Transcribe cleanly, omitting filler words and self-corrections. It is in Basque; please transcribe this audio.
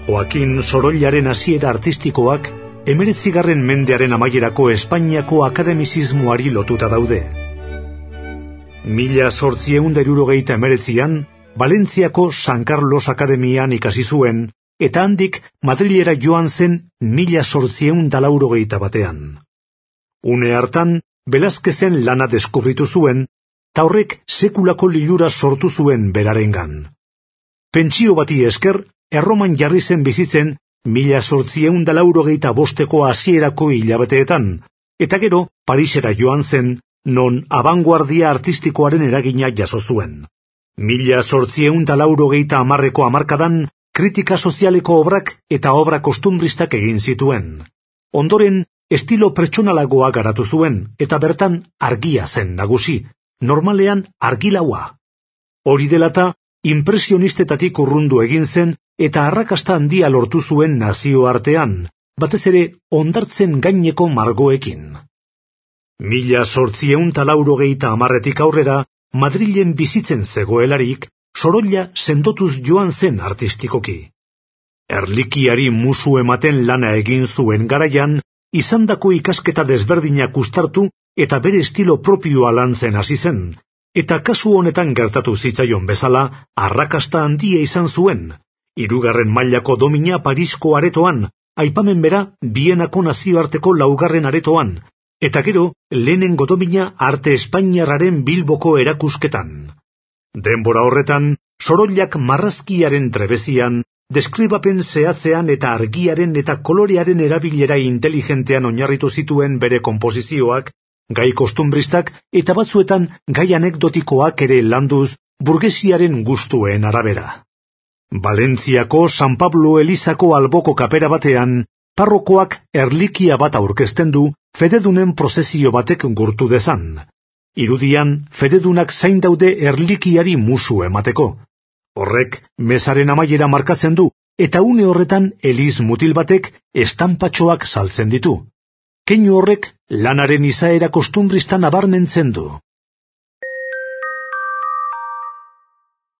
Joakin Sorollaren hasiera artistikoak 19. mendearen amaierako Espainiako akademizismoari lotuta daude. 1879an Valentziako San Carlos Akademian ikasi zuen, eta handik Madrilera joan zen 1881. Une hartan, Velázquezen lana deskubritu zuen, ta horrek sekulako lilura sortu zuen berarengan. Pentsio bati esker, Erroman jarri zen bizitzen 1885ko hasierako hilabeteetan, eta gero Parisera joan zen, non abanguardia artistikoaren eragina jaso zuen. 1880ko hamarkadan, kritika sozialeko obrak eta obra kostumbristak egin zituen. Ondoren, estilo pertsonalagoa garatu zuen, eta bertan argia zen nagusi, normalean argilaua. Hori delata, impresionistetatik urrundu egin zen, eta arrakasta handia lortu zuen nazioartean, batez ere hondartzen gaineko margoekin. 1880etik aurrera, Madrilen bizitzen zegoelarik, Sorolla sendotuz joan zen artistikoki. Erlikiari musu ematen lana egin zuen garaian, izandako ikasketa desberdinak uztartu eta bere estilo propioa lantzen hasi zen, eta kasu honetan gertatu zitzaion bezala, arrakasta handia izan zuen. 3. mailako domina Parisko aretoan, aipamen bera Bienako nazioarteko 4. aretoan, eta gero lehenengo domina arte espainiarraren Bilboko erakusketan. Denbora horretan, Sorollak marrazkiaren trebezian, deskribapen zehatzean eta argiaren eta kolorearen erabilera inteligentean oinarritu zituen bere konposizioak, gai kostumbristak eta batzuetan gai anekdotikoak ere landuz burgesiaren gustuen arabera. Valentziako San Pablo Elizako alboko kapera batean, parrokoak erlikia bat aurkezten du fededunen prozesio batek gurtu dezan. Irudian, fededunak zain daude erlikiari musu emateko. Horrek, mesaren amaiera markatzen du, eta une horretan eliz mutil batek estanpatxoak saltzen ditu. Keinu horrek lanaren izaera kostumbristan nabarmentzen du.